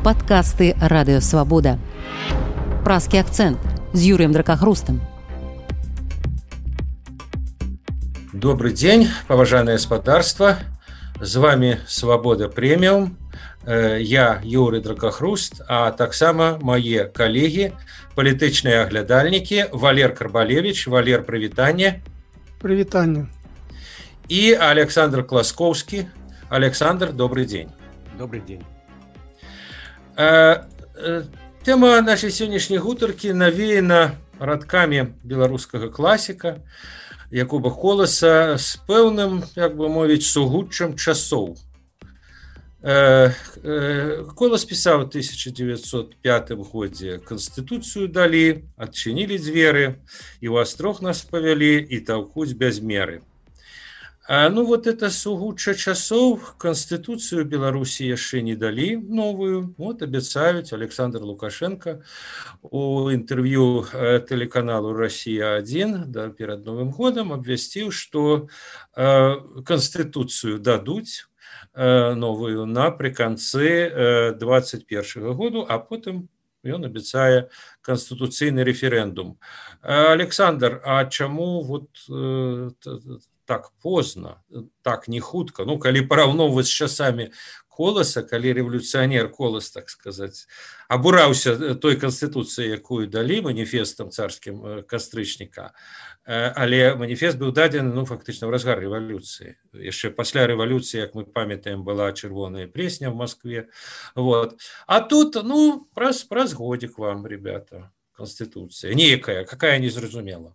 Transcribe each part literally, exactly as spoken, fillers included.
Падкасты радыёвабода. Празкі акцэнт з Юрыем Дракахрустам. Добрый день, поважанное господарство. З вами Свобода Премиум. Я Юрий Дракахруст, а таксама мои коллеги, палітычныя аглядальнікі Валер Карбалевич. Валер, привитание. Привитание. И Александр Класкоўскі. Александр, добрый день. Добрый день. Тема нашей сегодняшней гутаркі навеяна радкамі беларускага класіка Якуба Коласа з пэўным, як бы мовіць, сугуччам часоў. Колас пісаў у тысяча девятьсот пятым годзе Канстытуцыю далі, адчынілі дзверы, і ў астрог нас павялі, і таўкуць без меры. А, ну вот это сугучча часоў, Конституцию Беларуси яшчэ не далі новую. Вот абяцаюць. Александр Лукашенко у интервью телеканалу Россия один, да, перед Новым годом абвясціў, что э, Конституцию дадуць э, новую напрыканцы э, двадцать первого году, а потым ён абяцае конституцыйны референдум. Александр, а чаму вот э, так поздно, так не хутка? Ну, калі параўноўваць з часамі Коласа, калі рэвалюцыянер Колас, так сказаць, абураўся той канстытуцыі, якую далі, маніфестам царскім кастрычніка, але маніфест быў дадзены, ну, фактычна ў разгар рэвалюцыі. Яшчэ пасля рэвалюцыі, як мы памятаем, была чырвоная пресня в Москве. Вот. А тут, ну, праз, праз годик вам, ребята, конституцыя. Некая, какая незразумела.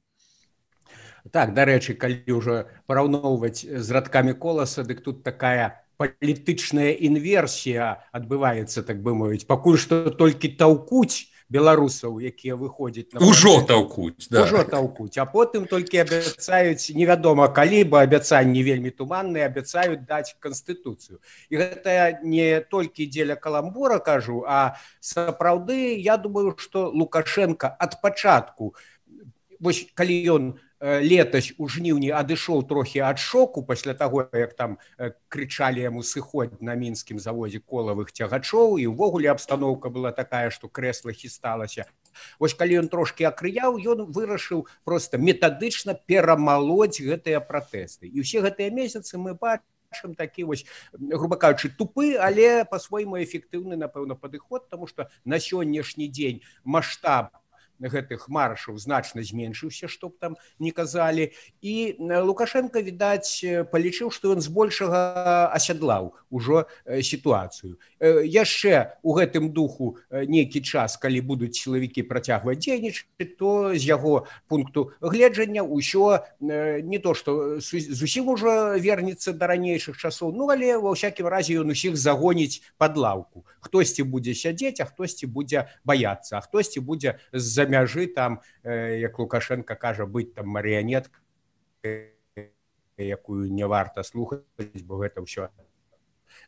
Так, дарэчы, калі ўжо параўноўваць з радкамі Коласа, дык тут такая палітычная інверсія адбываецца, так бы мовіць. Пакуль што толькі таўкуць беларусаў, якія выходзяць на... Ужо таўкуць, да. Ужо таўкуць, а потым толькі абяцаюць, невядома калі, бо абяцанні вельмі туманныя, абяцаюць даць Канстытуцыю. І гэта не толькі дзеля каламбура, кажу, а сапраўды, я думаю, што Лукашенко ад пачатку, вось калі ён летась у жніўні адышоў трохі ад шоку пасля таго, як там крычалі яму сыходзь на мінскім заводзе колавых цягачоў, і ўвогуле абстаноўка была такая, што крэсла хісталася. Вось калі ён трошкі акрыяў, ён вырашыў проста метадычна перамалоць гэтыя пратэсты. І ўсе гэтыя месяцы мы бачым такі вось, груба кажучы, тупы, але па-свойму эфектыўны, напэўна, падыход, таму што на сённяшні дзень маштаб гэтых маршаў значна зменшыўся, што б там не казалі. І Лукашенко, відаць, палічыў, што ён збольшага асядлаў ужо сітуацыю. Яшчэ у гэтым духу нейкі час, калі будуць сілавікі працягваць дзейнічаць, то з яго пункту гледжання ўсё не то, што зусім ужо вернецца да ранейшых часоў, ну, але ва ўсякім разе ён усіх загоніць пад лаўку. Хтосьці будзе сядзець, а хтосьці будзе баяцца, а хтосьці будзе з-за мяжы там, як Лукашенко кажа, быць там марыянеткай, якую не варта слухаць, бо гэта ўсё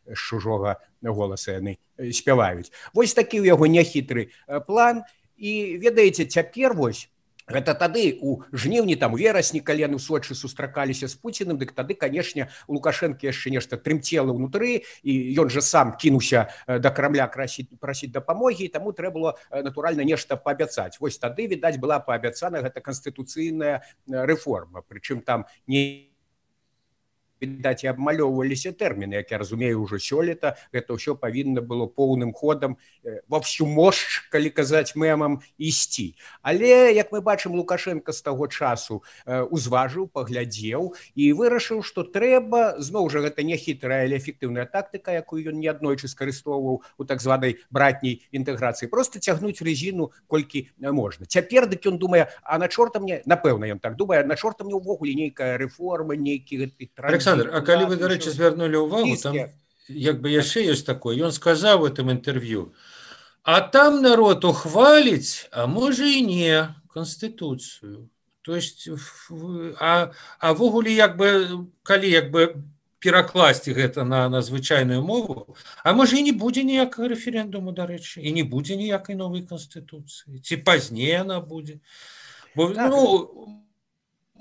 з чужога голаса яны спяваюць. Вось такі ў яго няхітры план. І ведаеце, цяпер вось гэта тады у жніўні, там у верасні, калі яны ў Сочы сустракаліся з Пуціным, дык тады, канешне, у Лукашэнкі яшчэ нешта трымцела ўнутры, і ён жа сам кінуўся да Крамля прасіць, прасіць дапамогі, і таму трэба было, натуральна, нешта паабяцаць. Вось тады, відаць, была паабяцана гэта канстытуцыйная рэформа. Прычым там не... відаць, і абмалёўваліся тэрміны, як я разумею, ўжо сёлета гэта ўсё павінна было поўным ходам ва всю мощь, калі казаць мемам, ісці. Але, як мы бачым, Лукашенко з таго часу узважыў, паглядзеў і вырашыў, што трэба, зноў жа, гэта не хітрая, але эфектыўная тактыка, якую ён неаднойчы скарыстоўваў у так званай братняй інтэграцыі, проста цягнуць рэзіну колькі можна. Цяпер дык ён думае, а на чорта мне, напэўна, ён так думае, на чорта мне ўвогуле нейкая рэформа, нейкі гэты транзіт. Александр, а калі вы, дарэчы, звярнулі ўвагу, там як бы яшчэ ёсць такое, ён сказаў в этом інтэрв'ю, а там народ ухваліць, а можа і не, Конституцыю. То есть, а, а ввогуле, як бы, калі як бы перакласці гэта на, на звычайную мову, а можа і не будзе ніякага рэферэндуму, дарэчы, і не будзе ніякай новай Конституцыі, ці пазней она будзе. Бо, так. ну...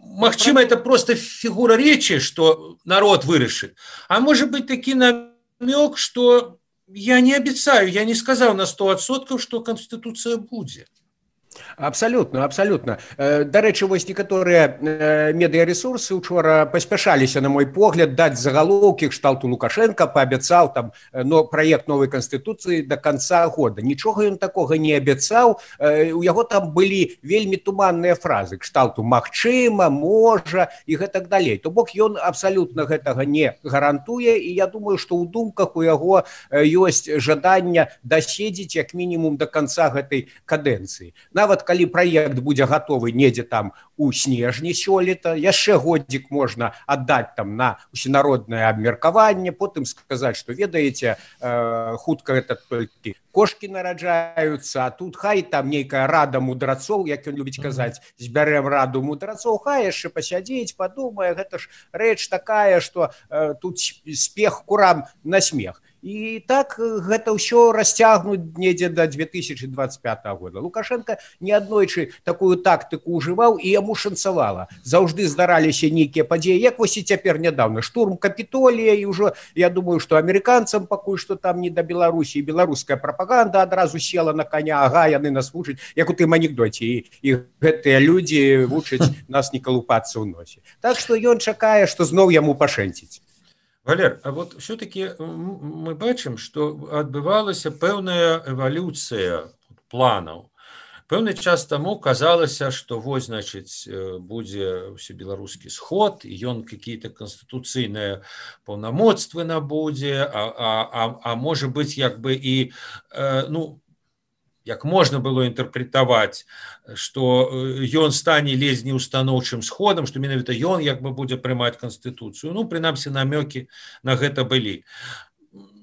Магчыма, это просто фигура речи, что народ вырашит. А может быть таки намек, что я не абяцаю, я не сказаў на сто адсоткаў, што Канстытуцыя будзе. Абсолютно, абсолютно. Дарэчы, вось некаторыя медыярэсурсы учора паспяшаліся, на мой погляд, даць загалоўкі кшталту Лукашенко паабяцаў там но праект новай канстытуцыі до конца года. Нічога ён такога не абяцаў. У яго там былі вельмі туманныя фразы кшталту магчыма, можа і гэтак далей. То бок ён абсалютна гэтага не гарантуе, і я думаю, што ў думках у яго ёсць жаданне даседзець як мінімум до конца гэтай кадэнцыі. Нават калі праект будзе гатовы недзе там у снежні сёлета, яшчэ годзік можна аддаць там на усенароднае абмеркаванне, потым сказаць, што ведаеце, э, хутка гэта толькі кошкі нараджаюцца, а тут хай там нейкая рада мудрацоў, як ён любіць казаць, збярэм раду мудрацоў, хай яшчэ пасядзець, падумае, гэта ж рэч такая, што э, тут спех курам на смех. І так гэта ўсё расцягнуць недзе да две тысячи двадцать пятого года. Лукашенко неаднойчы такую тактыку ўжываў, і яму шанцавала. Заўжды здараліся нейкія падзеі, як вось і цяпер нядаўна. Штурм Капітолія, і ўжо, я думаю, што амерыканцам пакуль што там не да Беларусі, і беларуская прапаганда адразу села на коня, ага, яны нас вучаць, як у тым анекдоце, і, і гэтыя людзі вучаць нас не калупацца ў носе. Так што ён чакае, што зноў яму пашэнціць. Валер, а вот все-таки мы бачым, што адбывалася пэўная эвалюцыя планаў. Пэўны час таму казалася, што вось, значыць, будзе ўсебеларускі сход, і ён какие-то канстытуцыйныя паўнамоцтвы набудзе, а, а, а, а можа быць, як бы і, э, ну, як можна было інтэрпрэтаваць, што ён стане ледзь не устаноўчым сходам, што менавіта ён як бы будзе прымаць канстытуцыю. Ну, прынамсі, намёкі на гэта былі.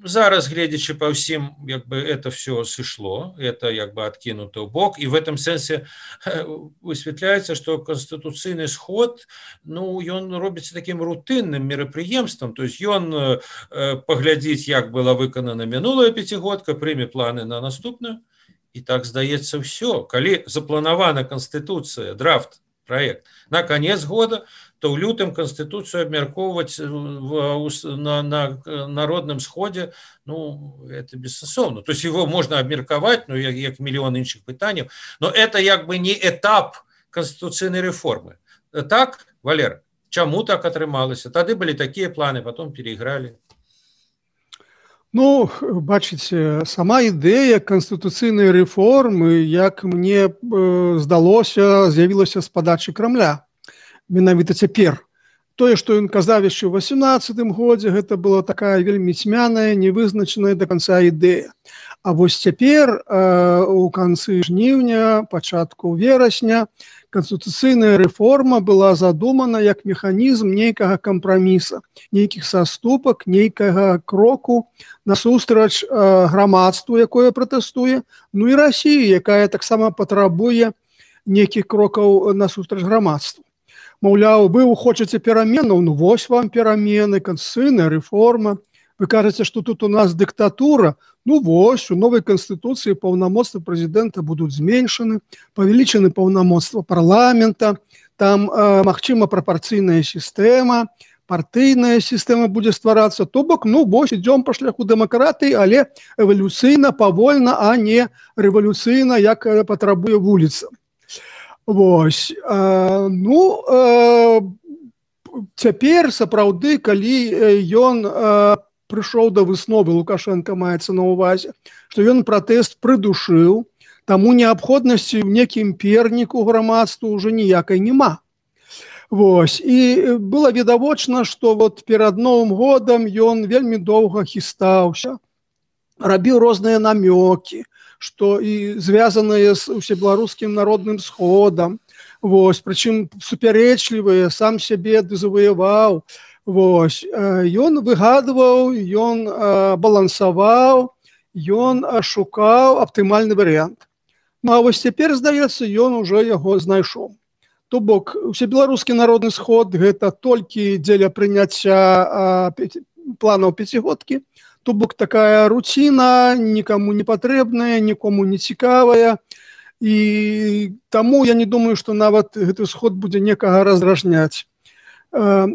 Зараз, гледзячы па ўсім, як бы это все сышло, это як бы адкінута ў бок, і в этом сэнсе высвятляецца, што канстытуцыйны сход, ну, ён робіцца такім рутынным мерапрыемствам, то есть ён паглядзіць, як была выканана мінулая пяцігодка, прыме планы на наступную. І так, здаецца, ўсё. Калі запланавана Канстытуцыя, драфт, праект, на конец года, то ў лютым Канстытуцыю абмяркоўваць на, на народным сходе, ну, это бессэнсоўна. То есть его можно абмеркаваць, ну, як, як мільён іншых пытанняў, но это як бы не этап канстытуцыйнай рэформы. Так, Валер, чаму так атрымалася? Тады былі такія планы, потом перайгралі. Ну, бачыце, сама ідэя канстытуцыйнай рэформы, як мне э, здалося, з'явілася з падачы Крамля. Менавіта цяпер. Тое, што ён казаў яшчэ ў восемнадцатым годзе, гэта была такая вельмі цьмяная, невызначаная да канца ідэя. А вось цяпер, э, у канцы жніўня, пачатку верасня, канстытуцыйная рэформа была задумана як механізм нейкага кампраміса, нейкіх саступак, нейкага кроку насустрач э, грамадству, якое пратэстуе, ну і Расіі, якая таксама патрабуе нейкіх крокаў насустрач грамадству. Маўляў, вы хочаце пераменаў, ну вось вам перамены, канстытуцыйная рэформа. Вы кажаце, што тут у нас дыктатура, ну вось, у новай канстытуцыі паўнамоцтвы прэзідэнта будуць зменшаны, павелічаны паўнамоцтва парламента, там, э, магчыма, прапарцыйная сістэма, партыйная сістэма будзе стварацца, то бок, ну вось, ідём па шляху дэмакратыі, але эвалюцыйна, павольна, а не рэвалюцыйна, як патрабуе вуліца. Вось, э, ну, э, цяпер, сапраўды, калі ён э, прыйшоў да высновы, Лукашенко маецца на ўвазе, што ён пратэст прыдушыў, таму неабходнасці ў некім перніку грамадству ўжо ніякай няма. Вось, і было відавочна, што вот перад Новым годам ён вельмі доўга хістаўся, рабіў розныя намёкі, што і звязаныя з усебеларускім народным сходам, вось, прычым супярэчлівыя, сам сябе дезаваяваў. Вось, ён выгадваў, ён балансаваў, ён шукаў аптымальны варыянт. Ну, а вось цяпер, здаецца, ён ужо яго знайшоў. То бок, усебеларускі народны сход гэта толькі дзеля прыняцця планаў пяцігодкі, то бок такая руціна, нікому не патрэбная, нікому не цікавая, і таму я не думаю, што нават гэты сход будзе некага раздражняць. А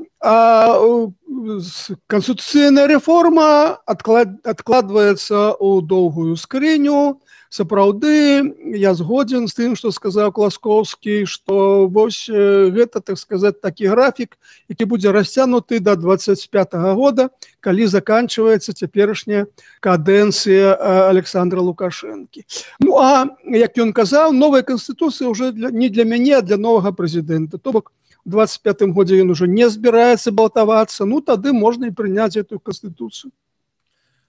канстытуцыйная рэформа адкладваецца ў доўгую скрыню. Сапраўды, я згодзін з тым, што сказаў Класкоўскі, што вось гэта, так сказаць, такі графік, які будзе расцянуты да дваццаць пятага года, калі заканчваецца цяперашняя кадэнцыя Александра Лукашэнкі. Ну, а, як ён казаў, новая канстытуцыя ўжо не для мяне, а для новага прэзідэнта. То бок, у двадцать пятым годзе ён уже не збіраецца балтавацца, ну тады можна і прыняць эту канстытуцыю.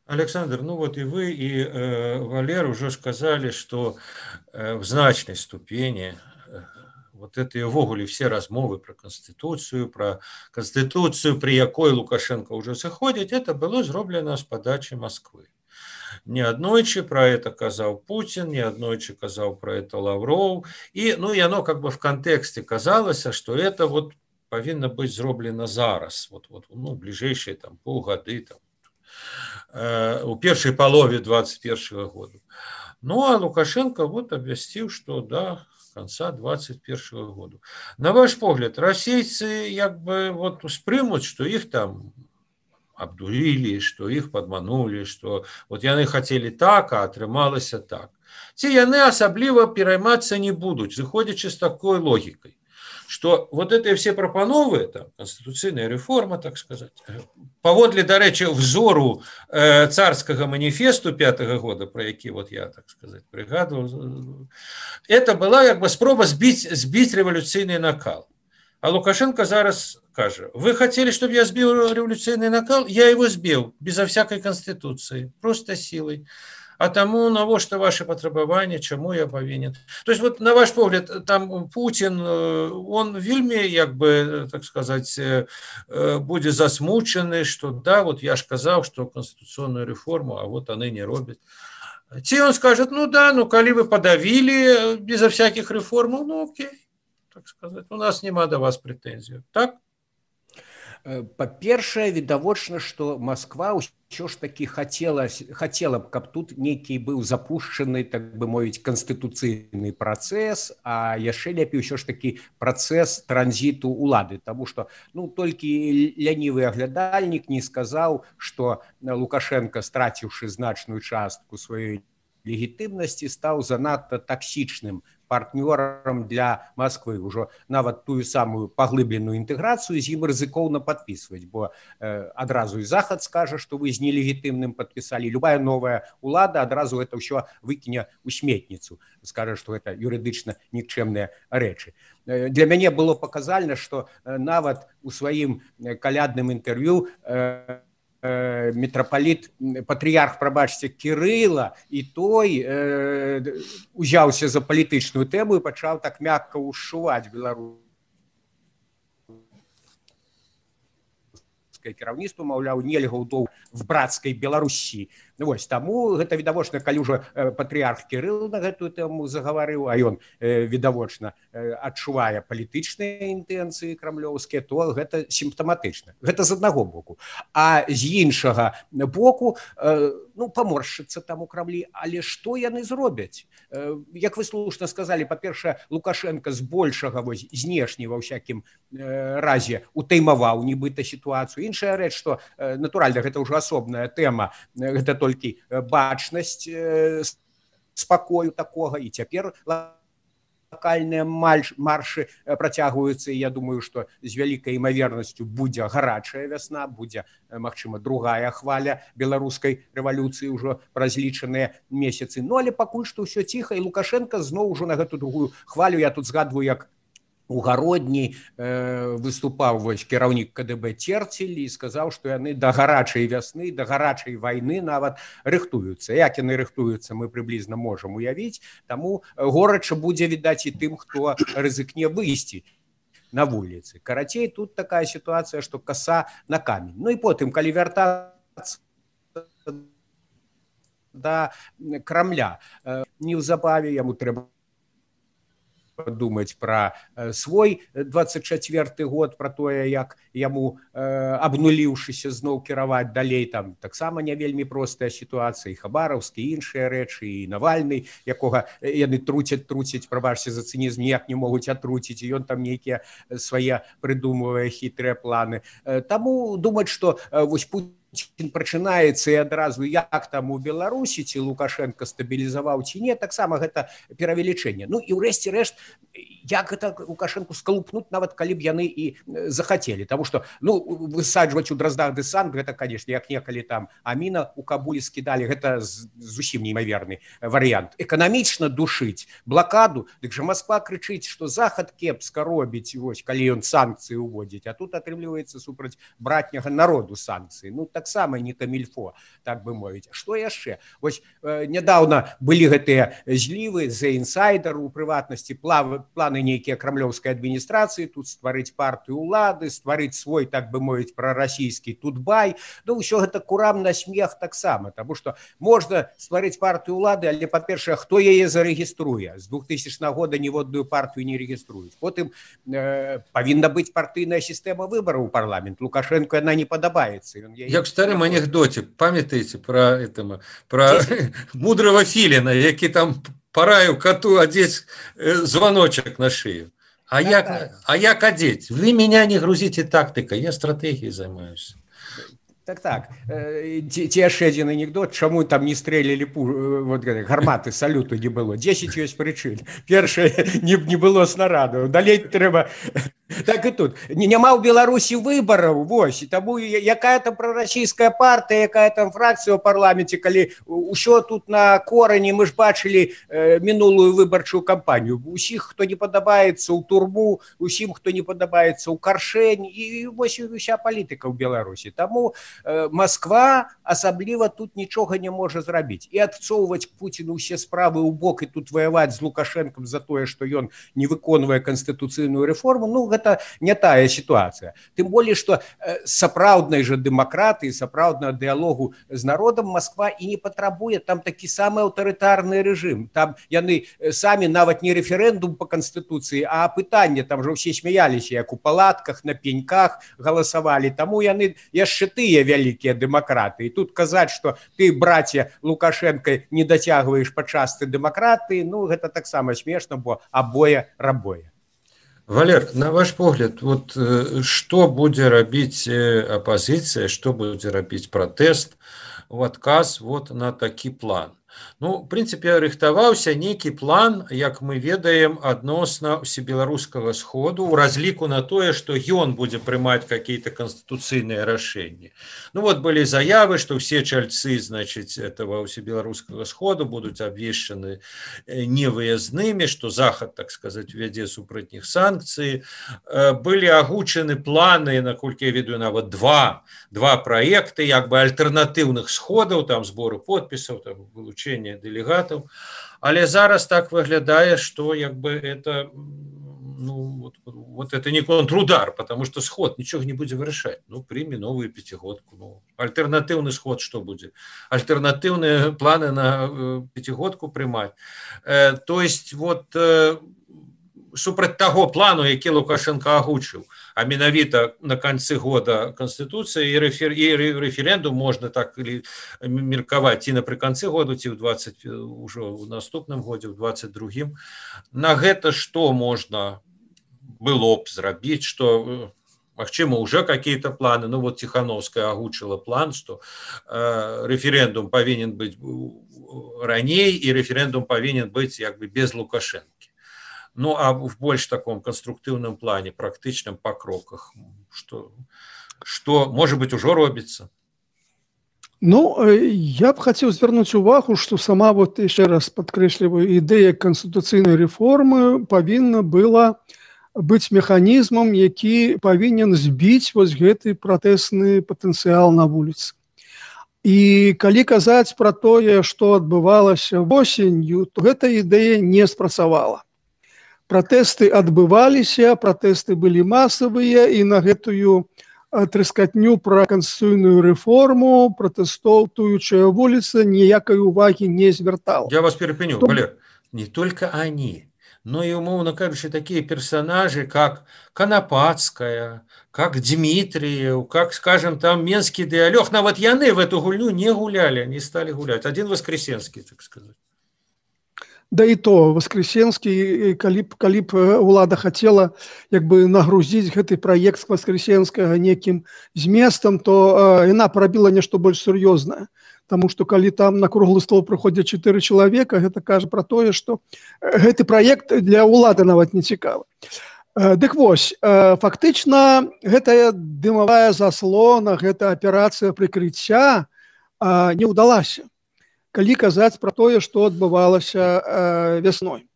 Александр, ну вот и вы, и э, Валер уже сказали, что э, в значной ступени э, вот это ввогуле все размовы про Конституцию, про Конституцию, при якой Лукашенко уже заходит, это было зроблено с подачи Москвы. Не аднойчы про это казаў Путин, не аднойчы казаў про это Лавров. И, ну, и оно как бы в контексте казалось, что это вот повинно быть зроблено зараз, вот, вот, ну, ближайшие там полгоды, там, э, у первой половины двадцать первого года. Ну, а Лукашенко вот объяснил, что да, конца двадцать первого года. На ваш погляд, российцы как бы вот спрымут, что их там абдурили, что их подманули, что вот яны хотели так, а атрымалася так. Ці яны асабліва пераймацца не будуць, зыходзячы з такой логикой, что вот эти все прапановы, там, конституцыйная реформа, так сказать, паводле, дарэчы, взору э, царского манифесту пятого года, про які вот я, так сказать, пригадывал, это была как бы спроба сбить, сбить революцийный накал. А Лукашенко зараз каже, вы хотели, чтобы я сбил революционный накал? Я его сбил, безо всякой конституции, просто силой. А тому, на во что ваши потребования, чему я повинен. То есть, вот на ваш погляд, там Путин, он вельми, как бы, так сказать, будет засмученный, что да, вот я ж сказал, что конституционную реформу, а вот они не робят. Те он скажет, ну да, ну коли вы подавили безо всяких реформ, ну окей. Так сказать, у нас нема до вас претензий. Так? Па-першае, відавочна, што Москва ўсё ж такі хацела, хацела б, каб тут нейкі быў запушчаны, так бы мовіць, канстытуцыйны працэс, а яшчэ лепей ўсё ж такі працэс транзіту ўлады. Таму што ну, толькі лянівы аглядальнік не сказаў, што Лукашенко, страціўшы значную частку сваёй легітымнасці, стаў занадта таксічным партнёрам для Москвы. Ужо нават тую самую паглыбленую інтэграцыю з ім рызыкоўна падпісваць, бо э, адразу і Захад скажа, што вы з нелегітымным падпісалі. Любая новая ўлада адразу гэта ўсё выкіне ў сметніцу. Скажа, што гэта юрыдычна нікчэмныя рэчы. Э, для мяне было паказальна, што э, нават у сваім калядным інтэрв'ю э, митрополит, патрыярх, прабачце, Кірыла, і той э, узяўся за палітычную тэму і пачаў так мякка ўшчуваць беларускае кіраўніцтва, маўляў, нельга ўдоў в братскай Беларусі. Ну, вось, таму гэта відавочна, калі ўжо патрыярх Кірыл на гэтую тэму загаварыў, а ён э, відавочна э, адчувае палітычныя інтэнцыі крамлёўскія, то гэта сімптаматычна. Гэта з аднаго боку. А з іншага боку, э, ну, паморшчыцца там у Крамлі, але што яны зробяць? Э, як вы слушна сказалі, па-першае, Лукашенко збольшага вось знешні ва ўсякім э, разе утаймаваў нібыта сітуацыю. Іншая рэч, што э, натуральна, гэта ўжо асобная тэма, гэта толькі бачнасць э, спакою такога, і цяпер локальныя маршы працягваюцца, і я думаю, што з вялікай імавернасцю будзе гарачая вясна, будзе, магчыма, другая хваля беларускай рэвалюцыі ўжо праз лічаныя месяцы. Ну, але пакуль што ўсё ціха, і Лукашенко зноў ужо на гэту другую хвалю, я тут згадваю, як у гародні э, выступаў вось кіраўнік КДБ Церцель і сказаў, што яны да гарачай вясны, да гарачай вайны нават рыхтуюцца. Як яны рыхтуюцца, мы прыблізна можам уявіць, таму горача будзе відаць і тым, хто рызыкне выйсці на вуліцы. Карацей, тут такая сітуацыя, што каса на камень. Ну і потым, калі вяртацца да Крамля, э, неўзабаве яму трэба падумаць пра свой двадцать чацвёрты год, пра тое, як яму абнуліўшыся зноў кіраваць далей, там таксама не вельмі простая сітуацыя, і Хабараўскі, і іншыя рэчы, і Навальны, якога яны труцяць, труцяць, прабачце за цынізм, ніяк не могуць атруціць, і ён там нейкія свае прыдумвае хітрыя планы. Таму думаць, што вось Путін прачынаецца і адразу як там у Беларусі, ці Лукашенко стабілізаваў ці не, таксама гэта перавелічэнне. Ну і ўрэшце рэшт, як гэта Лукашенку скалупнуць, нават калі б яны і захацелі. Таму што ну, высаджваць у Дроздах дэсант, гэта, канешне, як некалі там Аміна у Кабулі скідалі, гэта зусім неймаверны варыянт. Эканамічна душыць блакаду, дык жа Масква крычыць, што Захад кепска робіць, вось, калі ён санкцыі ўводзіць, а тут атрымліваецца супраць братняга народу санкцыі. Ну, таксама не камільфо, так бы мовіць. Што яшчэ? Вось э, нядаўна былі гэтыя злівы за інсайдер, у прыватнасці плав, планы нейкія крамлёўскай адміністрацыі, тут стварыць партыю ўлады, стварыць свой, так бы мовіць, прарасійскі тутбай. Ну, ўсё гэта курам на смех таксама, таму што можна стварыць партыю ўлады, але, па-першае, хто яе зарэгіструе? З двухтысячнага года ніводную партыю не рэгіструюць. Потым э, павінна быць партыйная сістэма выбараў у парламент. Лукашенко яна не падабаецца. Ён яе... Як в старым анекдоте, памятаеце про этого, про мудрого филина, які там параю коту одеть звоночек на шею. А да, як, да. а як одеть? Вы меня не грузите тактикой, я стратегией занимаюсь. Так, так. Ці яшчэ адзін анекдот, чаму там не стрэлілі вот, гарматы салюту не было. дзесяць ёсць прычын. Першае, не, не было снарадаў. Далей трэба... Так і тут. Няма ў Беларусі выбараў, вось. І таму якая там прарасійская партыя, якая там фракцыя ў парламенце, калі ўсё тут на корані, мы ж бачылі э, мінулую выбарчую кампанію. Усіх, хто не падабаецца ў турму, усім, хто не падабаецца ў каршэнь, і вось уся палітыка ў Беларусі. Таму э, Масква асабліва тут нічога не можа зрабіць. І адцоўваць Пуціну ўсе справы ў бок і тут ваяваць з Лукашэнкам за тое, што ён не выконвае канстытуцыйную рэформу, ну, гэта не тая сітуацыя. Тым болей, што сапраўднай жа дэмакратыі, сапраўднага дыялогу з народам Масква і не патрабуе, там такі самы аўтарытарны рэжым. Там яны самі нават не рэферэндум па канстытуцыі, а пытанне, там жа ўсе смяяліся, як у палатках, на пеньках галасавалі. Таму яны яшчэ тыя вялікія дэмакраты. І тут казаць, што ты, браце Лукашенко, не дацягваеш па частцы дэмакратыі, ну, гэта таксама смешна, бо абое рабое. Валер, на ваш погляд, вот что будзе рабіць апозіцыя, што будзе рабіць пратэст у адказ вот на такі план? Ну, в прынцыпе, рыхтаваўся нейкі план, як мы ведаем, адносна усебеларускага сходу, у разліку на тое, што ён будзе прымаць какие-то конституцыйныя рашэнні. Ну, вот былі заявы, што ўсе чальцы, значит, этого усебеларускага сходу будуць абвешчаны невыязнымі, што Захад, так сказать, вядзе супраць іх санкцыі. Былі агучаны планы, наколькі я ведаю, нават два, два праекты, як бы альтэрнатыўных сходаў, там збору подпісаў, там вылучэння делегатов, але зараз так выглядае, что як бы это ну, вот, вот это не контрудар, потому что сход ничего не будет вырашать. Ну, прими новую пятигодку. Ну, альтернативный сход что будет? Альтернативные планы на э, пятигодку примать. Э, то есть вот э, супраць таго плану, які Лукашенко агучыў, а менавіта на канцы года Конституцыі і, рэфер... і рэферэндум можна так или меркаваць ці напрыканцы году, ці ў двадцать ўжо ў наступным годзе, ў двадцать другім. На гэта што можна было б зрабіць, што магчыма уже какие-то планы. Ну вот Тихановская агучыла план, што э, рэферэндум павінен быць раней і рэферэндум павінен быць як бы без Лукашенко. Ну, а в больш таком конструктивном плане, практичном по кроках, что, что может быть, уже робится? Ну, я б хотел звернуть увагу, что сама, вот еще раз подкрещливаю, идея конституційної реформи повинна была быть механизмом, який повинен збить вот гэты протестный потенциал на улице. І калі казаць про тое, што адбывалася восенню, то гэта ідэя не спрацавала. Пратэсты адбываліся, пратэсты былі масавыя, і на гэтую трэскатню пра канстытуцыйную рэформу пратэстоўтуючая вуліца ніякай увагі не звяртала. Я вас перепыню, то... Валер, не только они, Ну и, умовно кажучи, такие персонажи, как Конопатская, как Дмитриев, как, скажем, там Менский диалог. Но вот яны в эту гульню не гуляли, они стали гулять. Один Воскресенский, так сказать. Да і то Воскресенскі, калі б, калі б ўлада хацела як бы нагрузіць гэты праект Воскресенскага некім зместам, то яна парабіла нешта больш сур'ёзнае. Таму што калі там на круглы стол прыходзяць чатыры чалавека, гэта кажа пра тое, што гэты праект для ўлады нават не цікавы. Дык вось, фактычна гэтая дымавая заслона, гэта аперацыя прыкрыцця не ўдалася. Калі казаць пра тое, што адбывалася вясной.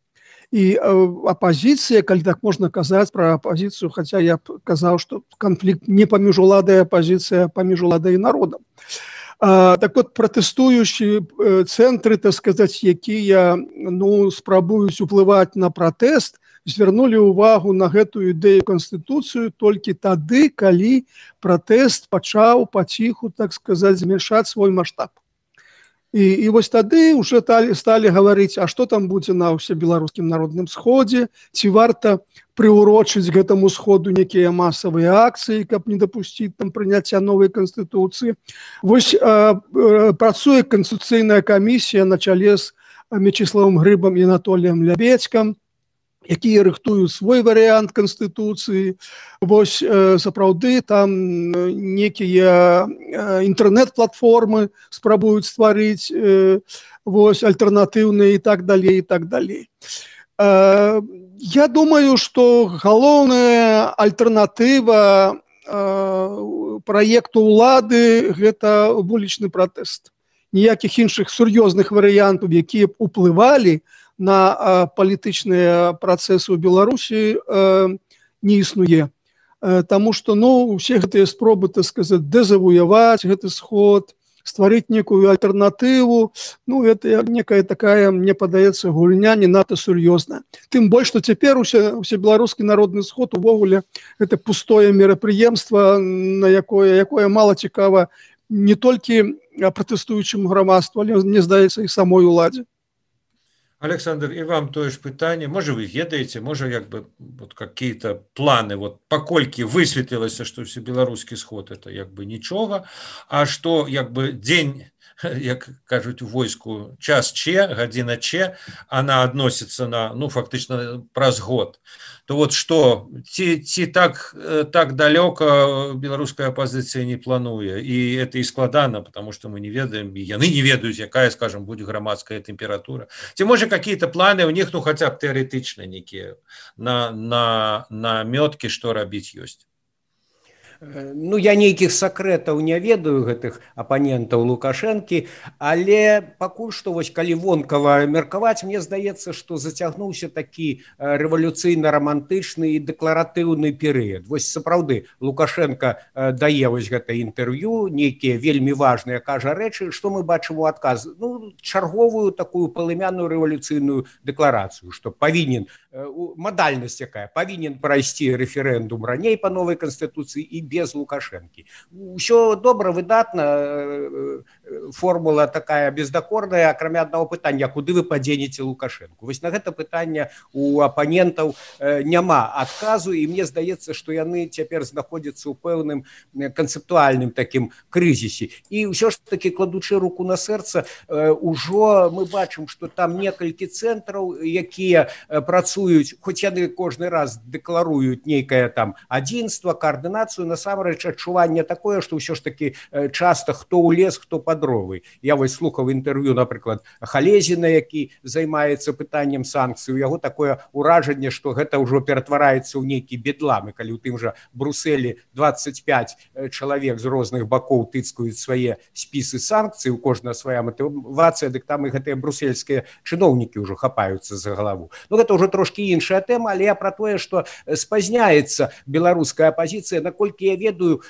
І апазіцыя, калі так можна казаць пра апазіцыю, хаця я б казаў, што канфлікт не паміж уладай, а апазіцыя паміж уладай і народам. Так от, пратэстуючы цэнтры, так сказаць, якія ну, спрабуюць уплываць на пратэст, звярнулі ўвагу на гэтую ідэю Канстытуцыю толькі тады, калі пратэст пачаў паціху, так сказаць, змяншаць свой маштаб. І, і вось тады ўжо сталі гаварыць, а што там будзе на ўсебеларускім народным сходзе, ці варта прыўрочыць гэтаму сходу некія масавыя акцыі, каб не дапусціць там прыняцця новай Канстытуцыі. Вось а, працуе Канстытуцыйная камісія на чале з Мячеславом Грыбам і Анатоліем Лябедзькам, якія рыхтуюць свой варыянт Канстытуцыі. Вось сапраўды там некія інтэрнэт-платформы спрабуюць стварыць вось альтэрнатыўныя і так далей, і так далей. Я думаю, што галоўная альтэрнатыва праекту ўлады гэта вулічны пратэст. Ніякіх іншых сур'ёзных варыянтаў, якія б уплывалі на а, палітычныя працэсы ў Беларусі э, не існуе. Э, Таму што ну, усе гэтыя спробы, так сказаць, дэзавуяваць гэты сход, стварыць некую альтэрнатыву, ну, гэта некая такая, мне падаецца, гульня не надта сур'ёзная. Тым больш, што цяпер усе, усе беларускі народны сход увогуле гэта пустое мерапрыемства, на якое, якое мала цікава не толькі пратэстуючым грамадству, але, мне здаецца, і самой уладзе. Александр, и вам тое ж пытанне. Можа, вы ведаеце, можа, як бы вот какие-то планы, вот паколькі высветлілася, што всебеларускі сход это як бы нічога, а што як бы дзень, як кажуць у войску, час че, гадзіна че, она адносіцца на, ну, фактычна праз год. То вот што, ці, ці так, так далёка беларуская апозіцыя не плануе, і это і складана, потому что мы не ведаем, і яны не ведаюць, якая, скажем, будзе грамадская тэмпература. Ці можа какие-то планы у них, ну, хотя б тэарэтычна некія на, на, на мёткі, што рабіць ёсць? Ну, я нейкіх сакрэтаў не ведаю гэтых апанентаў Лукашэнкі, але пакуль што вось калі вонкава меркаваць, мне здаецца, што зацягнуўся такі рэвалюцыйна-рамантычны і дэкларатыўны перыяд. Вось сапраўды Лукашенко дае вось гэта інтэрв'ю, нейкія вельмі важныя кажа рэчы, што мы бачым у адказ? Ну, чарговую такую палымяную рэвалюцыйную дэкларацыю, што павінен, мадальнасць якая, павінен прайсці рэферэндум раней па новай канстытуцыі і без Лукашэнкі. Усё добра, выдатна, формула такая бездакорная, акрамя аднаго пытання, куды вы падзенеце Лукашэнку? Вось на гэта пытанне у апанентаў няма адказу, і мне здаецца, што яны цяпер знаходзяцца ў пэўным канцэптуальным такім крызісе. І ўсё ж такі, кладучы руку на сэрца, ужо мы бачым, што там некалькі цэнтраў, якія працуюць, хоць яны кожны раз дэкларуюць нейкае там адзінства, каардынацыю, насамрэч адчуванне такое, што ўсё ж такі часта хто ў лес, хто па дровы. Я вось слухаў інтэрв'ю, напрыклад, Халезіна, які займаецца пытаннем санкцый, у яго такое ўражанне, што гэта ўжо ператвараецца ў нейкі бедлам, і калі ў тым жа Брусэлі дваццаць пяць чалавек з розных бакоў тыцкаюць свае спісы санкцый, у кожная свая матывацыя, дык там і гэтыя брусельскія чыноўнікі ўжо хапаюцца за галаву. Ну, гэта ўжо трошкі іншая тэма, але я пра тое, што спазняецца беларуская апозіцыя, наколькі наколькі я ведаю,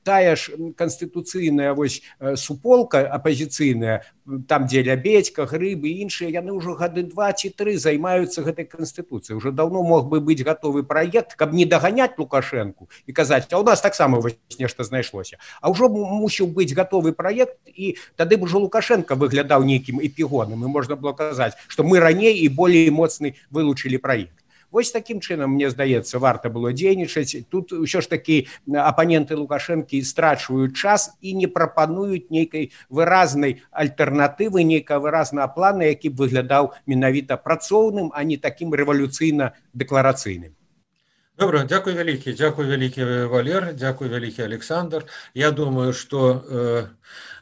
тая ж канстытуцыйная вось суполка апазіцыйная, там дзе Лябедзька, Грыб і іншыя, яны ўжо гады два ці тры займаюцца гэтай канстытуцыяй. Уже даўно мог бы быць гатовы праект, каб не даганяць Лукашэнку і казаць, а ў нас таксама вось нешта знайшлося. А ўжо мусіў быць гатовы праект, і тады б ужо Лукашенко выглядаў нейкім эпігонам, і можна было казаць, што мы раней і болей моцны вылучылі праект. Вось такім чынам, мне здаецца, варта было дзейнічаць. Тут ўсё ж такі апаненты Лукашэнкі страчваюць час і не прапануюць нейкай выразнай альтэрнатывы, нейкага выразнага плана, які б выглядаў менавіта працоўным, а не такім рэвалюцыйна-дэкларацыйным. Добра, дзякуй вялікі, дзякуй вялікі Валер, дзякуй вялікі Александр. Я думаю, што э,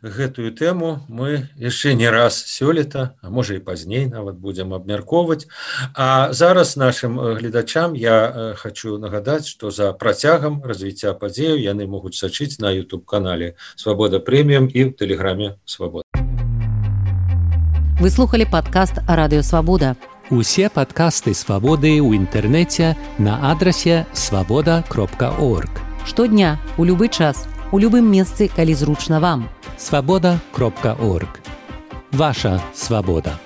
гэтую тэму мы яшчэ не раз сёлета, а можа і пазней нават будзем абмяркоўваць. А зараз нашым гледачам я э, хочу нагадаць, што за працягам развіцця падзеяў яны могуць сачыць на YouTube-канале Свабода Прэміум і ў тэлеграме Свабода. Вы слухали падкаст Радыё Свабода. Усе падкасты Свабоды ў інтэрнэце на адрасе свабода кропка орг. Штодня, у любы час, у любым месцы, калі зручна вам. свабода кропка орг. Ваша свабода.